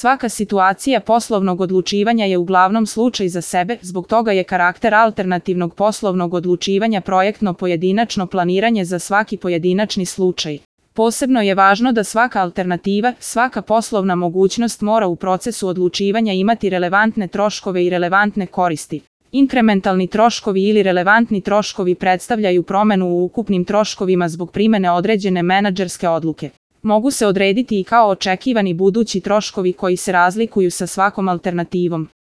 Svaka situacija poslovnog odlučivanja je uglavnom slučaj za sebe, zbog toga je karakter alternativnog poslovnog odlučivanja projektno pojedinačno planiranje za svaki pojedinačni slučaj. Posebno je važno da svaka alternativa, svaka poslovna mogućnost mora u procesu odlučivanja imati relevantne troškove i relevantne koristi. Inkrementalni troškovi ili relevantni troškovi predstavljaju promenu u ukupnim troškovima zbog primene određene menadžerske odluke. Mogu se odrediti i kao očekivani budući troškovi koji se razlikuju sa svakom alternativom.